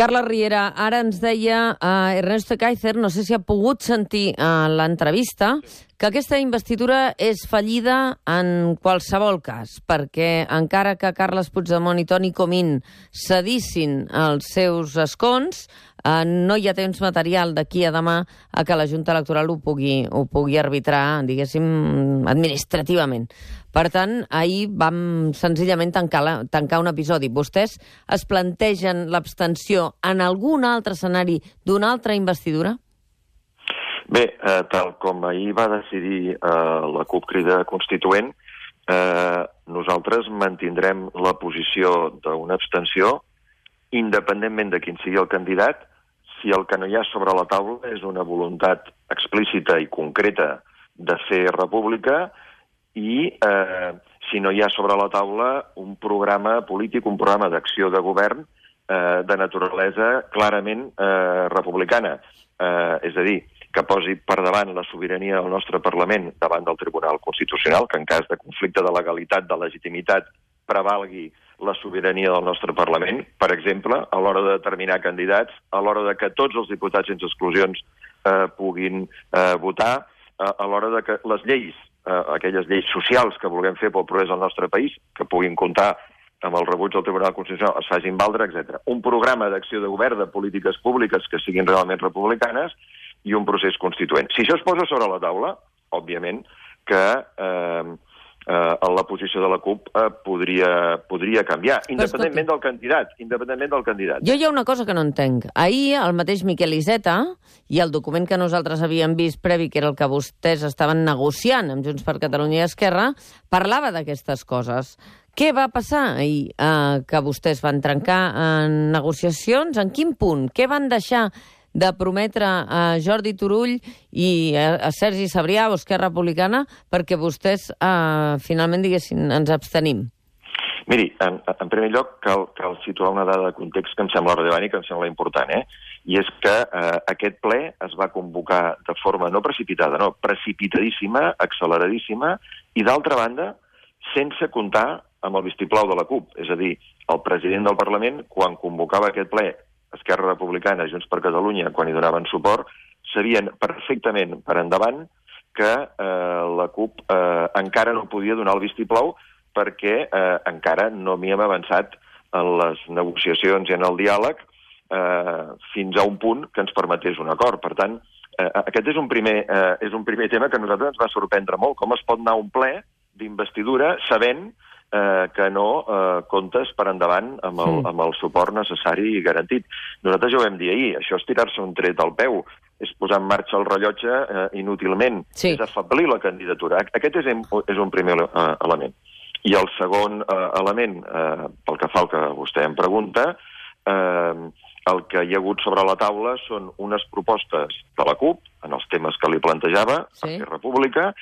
Carles Riera, ara ens deia Ernesto Kaiser, no sé si ha pogut sentir l'entrevista, que aquesta investidura és fallida en qualsevol cas, perquè encara que Carles Puigdemont i Toni Comín cedissin els seus escons, no hi ha temps material d'aquí a demà a que la Junta Electoral ho pugui arbitrar, diguéssim, administrativament. Per tant, ahir vam senzillament tancar un episodi. Vostès es plantegen l'abstenció en algun altre escenari d'una altra investidura? Bé, tal com ahir va decidir la CUP Crida Constituent, nosaltres mantindrem la posició d'una abstenció independentment de quin sigui el candidat, si el que no hi ha sobre la taula és una voluntat explícita i concreta de fer república i si no hi ha sobre la taula un programa polític, un programa d'acció de govern de naturalesa clarament republicana. És a dir, que posi per davant la sobirania del nostre Parlament davant del Tribunal Constitucional, que en cas de conflicte de legalitat, de legitimitat, prevalgui la sobirania del nostre Parlament, per exemple, a l'hora de determinar candidats, a l'hora de que tots els diputats sense exclusions puguin votar, a l'hora de que les lleis, aquelles lleis socials que vulguem fer pel progrés del nostre país, que puguin comptar amb el rebuig del Tribunal Constitucional, es facin valdre, etc. Un programa d'acció de govern, de polítiques públiques que siguin realment republicanes i un procés constituent. Si això es posa sobre la taula, òbviament que la posició de la CUP podria canviar, independentment del candidat. Jo hi ha una cosa que no entenc. Ahir el mateix Miquel Iceta i el document que nosaltres havíem vist previ, que era el que vostès estaven negociant amb Junts per Catalunya i Esquerra, parlava d'aquestes coses. Què va passar ahir? Que vostès van trencar en negociacions? En quin punt? Què van deixar de prometre a Jordi Turull i a Sergi Sabrià o Esquerra Republicana perquè vostès finalment diguessin ens abstenim? Miri, en primer lloc cal situar una dada de context que em sembla rellevant i que em sembla important, i és que aquest ple es va convocar de forma no precipitada, no, precipitadíssima, acceleradíssima, i d'altra banda, sense comptar amb el vistiplau de la CUP. És a dir, el president del Parlament, quan convocava aquest ple, Esquerra Republicana, Junts per Catalunya, quan hi donaven suport, sabien perfectament per endavant que la CUP encara no podia donar el vistiplau perquè encara no havíem avançat en les negociacions i en el diàleg fins a un punt que ens permetés un acord. Per tant, aquest és un primer tema que a nosaltres ens va sorprendre molt. Com es pot anar a un ple d'investidura sabent que no comptes per endavant amb el suport necessari i garantit. Nosaltres ja ho vam dir ahir, això és tirar-se un tret al peu, és posar en marxa el rellotge inútilment, és afeblir la candidatura. Aquest és un primer element. I el segon element, pel que fa al que vostè em pregunta, el que hi ha hagut sobre la taula són unes propostes de la CUP, en els temes que li plantejava, per fer república,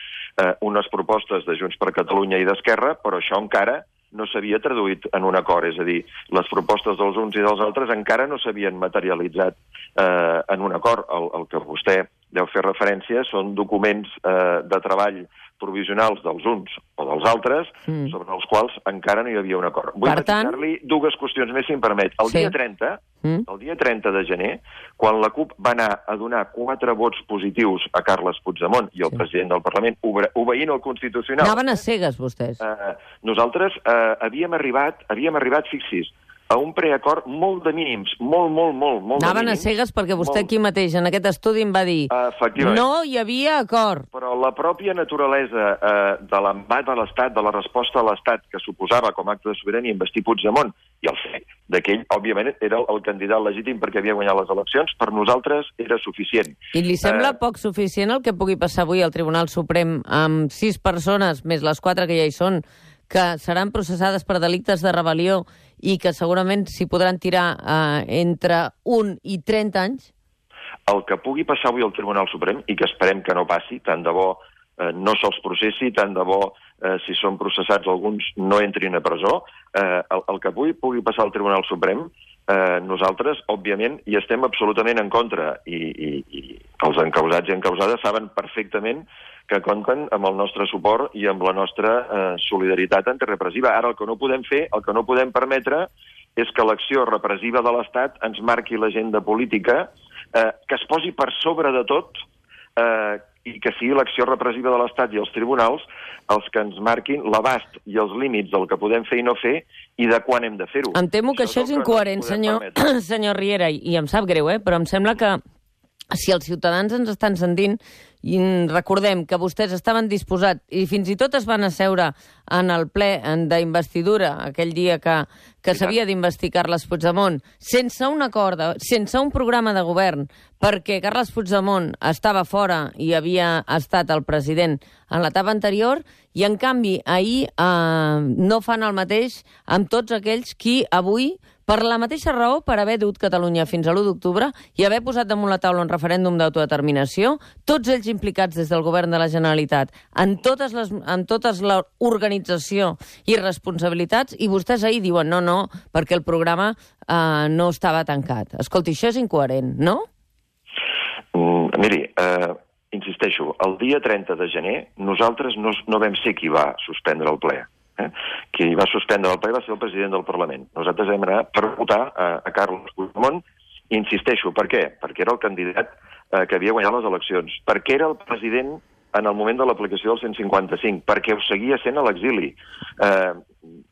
unes propostes de Junts per Catalunya i d'Esquerra, però això encara no s'havia traduït en un acord. És a dir, les propostes dels uns i dels altres encara no s'havien materialitzat en un acord. El que vostè deu fer referència són documents de treball provisionals dels uns o dels altres, sobre els quals encara no hi havia un acord. Vull matinar-li dues qüestions més, si em permet. El dia 30 de gener, quan la CUP va anar a donar 4 vots positius a Carles Puigdemont i el president del Parlament, obeint el Constitucional... Anaven a cegues, vostès. Nosaltres havíem arribat, fixi's, a un preacord molt de mínims, molt de mínims. Anaven a cegues perquè vostè aquí mateix, en aquest estudi, em va dir no hi havia acord. Però la pròpia naturalesa de l'embat de l'Estat, de la resposta de l'Estat que suposava com a acte de sobirania investir Puigdemont, i el fet d'aquell, òbviament, era el candidat legítim perquè havia guanyat les eleccions, per nosaltres era suficient. I li sembla poc suficient el que pugui passar avui al Tribunal Suprem amb 6 persones, més les 4 que ja hi són, que seran processades per delictes de rebel·lió i que segurament s'hi podran tirar entre 1 i 30 anys? El que pugui passar avui al Tribunal Suprem, i que esperem que no passi, tant de bo no se'ls processi, tant de bo, si són processats alguns, no entrin a presó, el que pugui passar al Tribunal Suprem, nosaltres, òbviament, hi estem absolutament en contra, i els encausats i encausades saben perfectament que compten amb el nostre suport i amb la nostra solidaritat antirepressiva. Ara, el que no podem fer, el que no podem permetre, és que l'acció repressiva de l'Estat ens marqui l'agenda política, que es posi per sobre de tot i que sigui l'acció repressiva de l'Estat i els tribunals els que ens marquin l'abast i els límits del que podem fer i no fer i de quan hem de fer-ho. Em temo que això és incoherent, senyor Riera, i em sap greu, però em sembla que si els ciutadans ens estan sentint, i recordem que vostès estaven disposats i fins i tot es van asseure en el ple d'investidura aquell dia que s'havia d'investir Carles Puigdemont, sense un acord, sense un programa de govern, perquè Carles Puigdemont estava fora i havia estat el president en l'etapa anterior, i en canvi ahir no fan el mateix amb tots aquells qui avui, per la mateixa raó, per haver dut Catalunya fins a l'1 d'octubre i haver posat damunt la taula un referèndum d'autodeterminació, tots ells implicats des del govern de la Generalitat en totes l'organització i responsabilitats, i vostès ahir diuen no, perquè el programa no estava tancat. Escolti, això és incoherent, no? Miri, insisteixo, el dia 30 de gener nosaltres no vam ser qui va suspendre el ple. Qui va suspendre el ple va ser el president del Parlament. Nosaltres vam anar per votar a Carles Puigdemont, i insisteixo, per què? Perquè era el candidat que havia guanyat les eleccions, perquè era el president en el moment de l'aplicació del 155, perquè ho seguia sent a l'exili.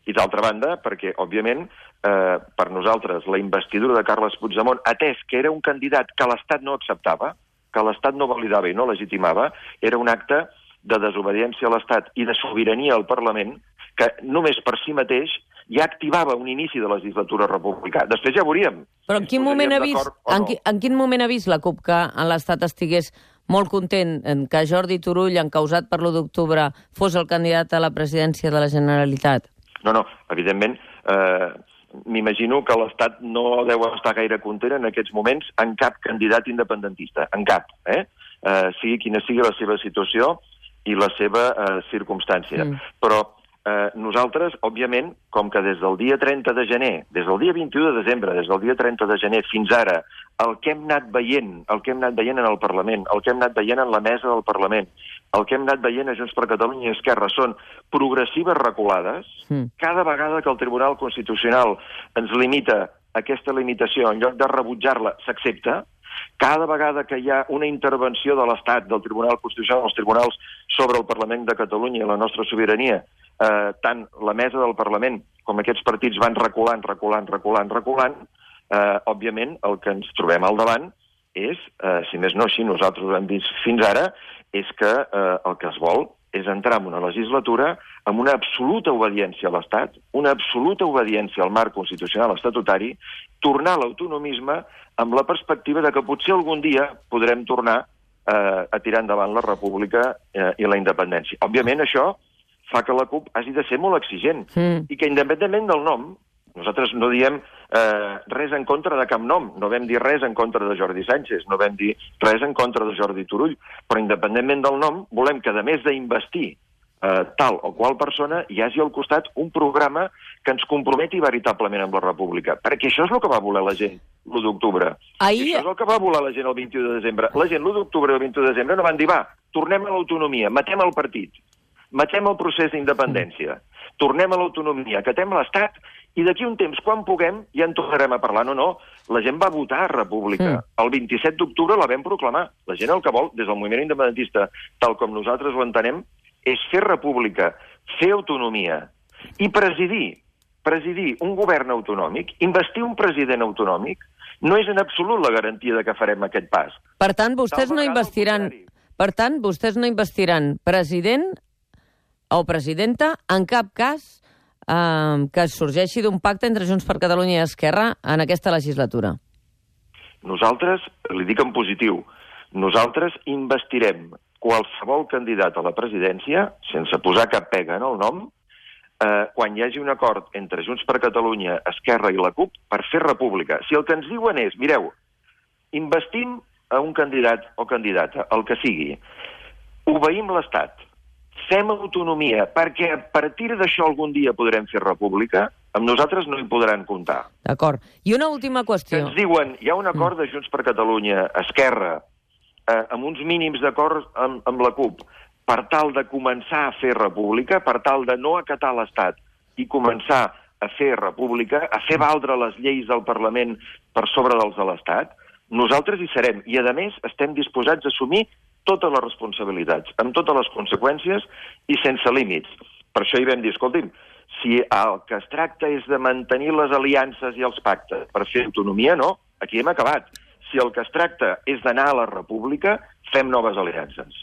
I d'altra banda, perquè, òbviament, per nosaltres, la investidura de Carles Puigdemont, atès que era un candidat que l'Estat no acceptava, que l'Estat no validava i no legitimava, era un acte de desobediència a l'Estat i de sobirania al Parlament, que només per si mateix ja activava un inici de legislatura republicana. Després ja veuríem. Però en quin moment ha vist la CUP que l'Estat estigués molt content que Jordi Turull, encausat per l'1 d'octubre, fos el candidat a la presidència de la Generalitat? No, evidentment, m'imagino que l'Estat no deu estar gaire content en aquests moments en cap candidat independentista, en cap, sigui quina sigui la seva situació i la seva circumstància. Però nosaltres, òbviament, com que des del dia 30 de gener, des del dia 21 de desembre, des del dia 30 de gener fins ara, el que hem anat veient en el Parlament, el que hem anat veient en la mesa del Parlament, el que hem anat veient a Junts per Catalunya i Esquerra són progressives reculades. Cada vegada que el Tribunal Constitucional ens limita aquesta limitació, en lloc de rebutjar-la, s'accepta. Cada vegada que hi ha una intervenció de l'Estat, del Tribunal Constitucional, dels tribunals sobre el Parlament de Catalunya i la nostra sobirania, tant la mesa del Parlament com aquests partits van reculant, òbviament el que ens trobem al davant és, si més no així nosaltres ho hem vist fins ara, és que el que es vol és entrar en una legislatura amb una absoluta obediència a l'Estat, una absoluta obediència al marc constitucional estatutari, tornar a l'autonomisme amb la perspectiva de que potser algun dia podrem tornar a tirar endavant la república i la independència. Òbviament això fa que la CUP hagi de ser molt exigent i que independentment del nom, nosaltres no diem res en contra de cap nom, no vam dir res en contra de Jordi Sánchez, no vam dir res en contra de Jordi Turull, però independentment del nom volem que, a més d'investir tal o qual persona, hi hagi al costat un programa que ens comprometi veritablement amb la república, perquè això és el que va voler la gent l'1 d'octubre. Això és el que va voler la gent el 21 de desembre. La gent l'1 d'octubre i el 21 de desembre no van dir, va, tornem a l'autonomia, matem el partit, matem el procés d'independència, tornem a l'autonomia, acatem l'Estat i d'aquí un temps, quan puguem, ja en tornarem a parlar. No, la gent va votar a república. El 27 d'octubre la vam proclamar. La gent el que vol, des del moviment independentista, tal com nosaltres ho entenem, és fer república, fer autonomia i presidir un govern autonòmic, investir un president autonòmic, no és en absolut la garantia de que farem aquest pas. Per tant, vostès no investiran president o presidenta en cap cas que sorgeixi d'un pacte entre Junts per Catalunya i Esquerra en aquesta legislatura. Nosaltres, li dic en positiu, nosaltres investirem qualsevol candidat a la presidència, sense posar cap pega en el nom, quan hi hagi un acord entre Junts per Catalunya, Esquerra i la CUP per fer república. Si el que ens diuen és, mireu, investim a un candidat o candidata, el que sigui, obeïm l'Estat, fem autonomia, perquè a partir d'això algun dia podrem fer república, amb nosaltres no hi podran comptar. D'acord. I una última qüestió. Ens diuen, hi ha un acord de Junts per Catalunya, Esquerra, amb uns mínims d'acord amb la CUP, per tal de començar a fer república, per tal de no acatar l'Estat i començar a fer república, a fer valdre les lleis del Parlament per sobre dels de l'Estat, nosaltres hi serem. I, a més, estem disposats a assumir totes les responsabilitats, amb totes les conseqüències i sense límits. Per això hi vam dir, escolti'm, si el que es tracta és de mantenir les aliances i els pactes per fer autonomia, no, aquí hem acabat. Si el que es tracta és d'anar a la república, fem noves aliances.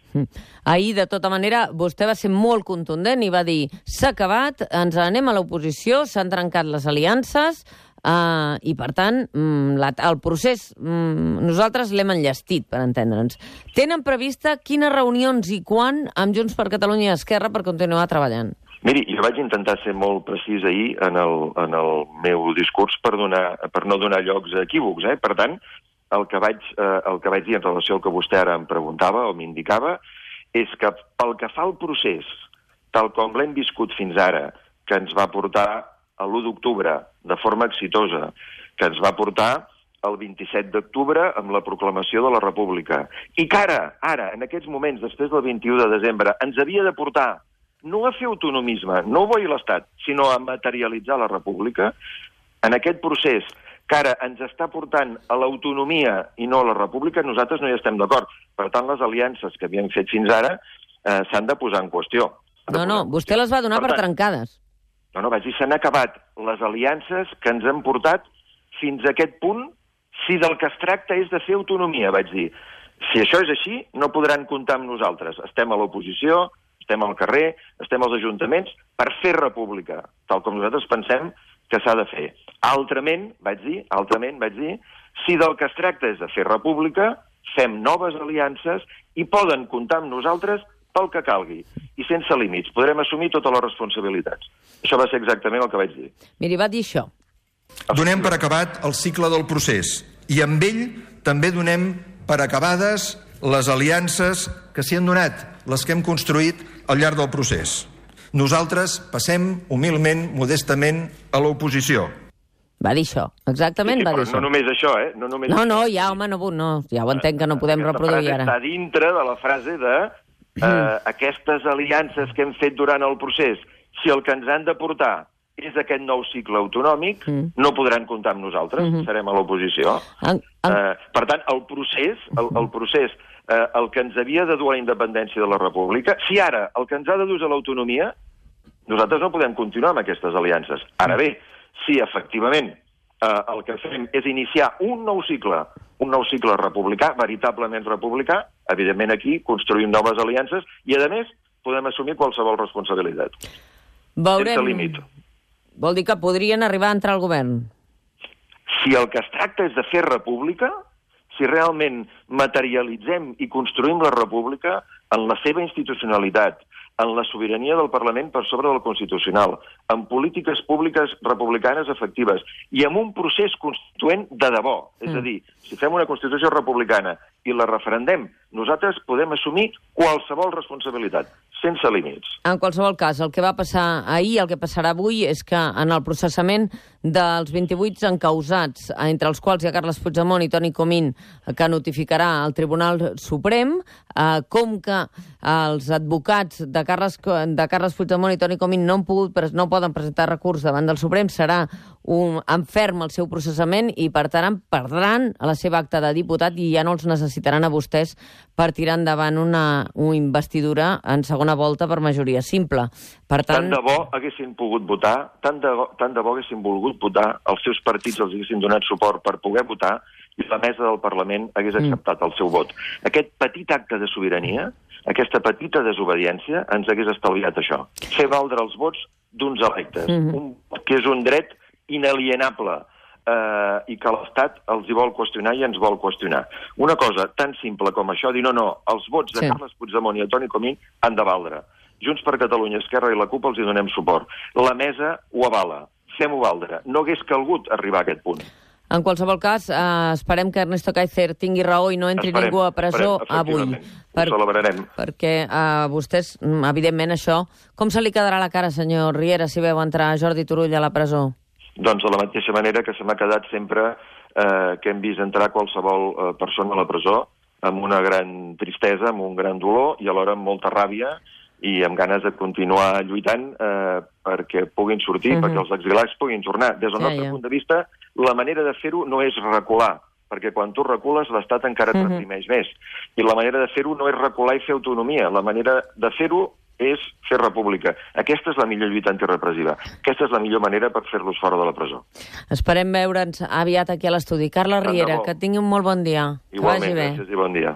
Ahir, de tota manera, vostè va ser molt contundent i va dir s'ha acabat, ens anem a l'oposició, s'han trencat les aliances i, per tant, el procés nosaltres l'hem enllestit, per entendre'ns. Tenen prevista quines reunions i quan amb Junts per Catalunya i Esquerra per continuar treballant? Miri, jo vaig intentar ser molt precís ahir en el meu discurs per no donar llocs a equívocs. Per tant, el que vaig dir en relació al que vostè ara em preguntava o m'indicava és que pel que fa al procés, tal com l'hem viscut fins ara, que ens va portar a l'1 d'octubre de forma exitosa, que ens va portar el 27 d'octubre amb la proclamació de la República, i que ara, en aquests moments, després del 21 de desembre, ens havia de portar no a fer autonomisme, no a obeir l'Estat, sinó a materialitzar la República, en aquest procés que ara ens està portant a l'autonomia i no a la República, nosaltres no hi estem d'acord. Per tant, les aliances que havíem fet fins ara s'han de posar en qüestió. No, vostè les va donar per trencades. No, vaig dir, s'han acabat les aliances que ens han portat fins a aquest punt, si del que es tracta és de fer autonomia, vaig dir. Si això és així, no podran comptar amb nosaltres. Estem a l'oposició, estem al carrer, estem als ajuntaments per fer república, tal com nosaltres pensem que s'ha de fer. Altrament, vaig dir, si del que es tracta és de fer república, fem noves aliances i poden comptar amb nosaltres pel que calgui. I sense límits. Podrem assumir totes les responsabilitats. Això va ser exactament el que vaig dir. Miri, va dir això. Donem per acabat el cicle del procés i amb ell també donem per acabades les aliances que s'hi han donat, les que hem construït al llarg del procés. Nosaltres passem humilment, modestament, a l'oposició. Va dir això, exactament va dir això. No només això, No, ja ho entenc que no podem reproduir ara. Està dintre de la frase de aquestes aliances que hem fet durant el procés, si el que ens han de portar és aquest nou cicle autonòmic, no podran comptar amb nosaltres, serem a l'oposició. Per tant, el procés, el que ens havia de dur a la independència de la República, si ara el que ens ha de dur és a l'autonomia, nosaltres no podem continuar amb aquestes aliances. Ara bé, si efectivament el que fem és iniciar un nou cicle republicà, veritablement republicà, evidentment aquí construïm noves aliances i, a més, podem assumir qualsevol responsabilitat. Veurem. Sense límit. Vol dir que podrien arribar a entrar al govern? Si el que es tracta és de fer república, si realment materialitzem i construïm la república en la seva institucionalitat, en la sobirania del Parlament per sobre del Constitucional, en polítiques públiques republicanes efectives i en un procés constituent de debò. És a dir, si fem una Constitució republicana i la referendem, nosaltres podem assumir qualsevol responsabilitat, sense límits. En qualsevol cas, el que va passar ahir, el que passarà avui, és que en el processament dels 28 encausats, entre els quals hi ha Carles Puigdemont i Toni Comín, que notificarà al Tribunal Suprem, com que els advocats de Carles Puigdemont i Toni Comín no poden presentar recurs davant del Suprem, serà en ferm el seu processament i, per tant, perdran la seva acta de diputat i ja no els necessitaran a vostès per tirar endavant una investidura en segona volta per majoria simple. Per tant, tant de bo haguessin pogut votar, tant de bo haguessin volgut votar, els seus partits els haguessin donat suport per poder votar i la mesa del Parlament hagués acceptat el seu vot. Aquest petit acte de sobirania, aquesta petita desobediència, ens hagués estalviat això. Fer valdre els vots d'uns electes, que és un dret inalienable i que l'Estat els hi vol qüestionar i ens vol qüestionar. Una cosa tan simple com això, dir no, els vots de Carles Puigdemont i de Toni Comín han de valdre. Junts per Catalunya, Esquerra i la CUP els hi donem suport. La mesa ho avala. Fem-ho valdre. No hagués calgut arribar a aquest punt. En qualsevol cas, esperem que Ernesto Kaiser tingui raó i no entri ningú a presó avui. Ho celebrarem. Perquè a vostès, evidentment, això... Com se li quedarà la cara, senyor Riera, si veu entrar Jordi Turull a la presó? Doncs de la mateixa manera que se m'ha quedat sempre que hem vist entrar qualsevol persona a la presó amb una gran tristesa, amb un gran dolor i alhora amb molta ràbia i amb ganes de continuar lluitant perquè puguin sortir, perquè els exiliats puguin tornar. Des del nostre punt de vista, la manera de fer-ho no és recular, perquè quan tu recules l'Estat encara et reprimeix més. I la manera de fer-ho no és recular i fer autonomia. La manera de fer-ho és fer república. Aquesta és la millor lluita antirepressiva. Aquesta és la millor manera per fer-los fora de la presó. Esperem veure'ns aviat aquí a l'estudi. Carles Riera, que tingui un molt bon dia. Igualment, gràcies i bon dia.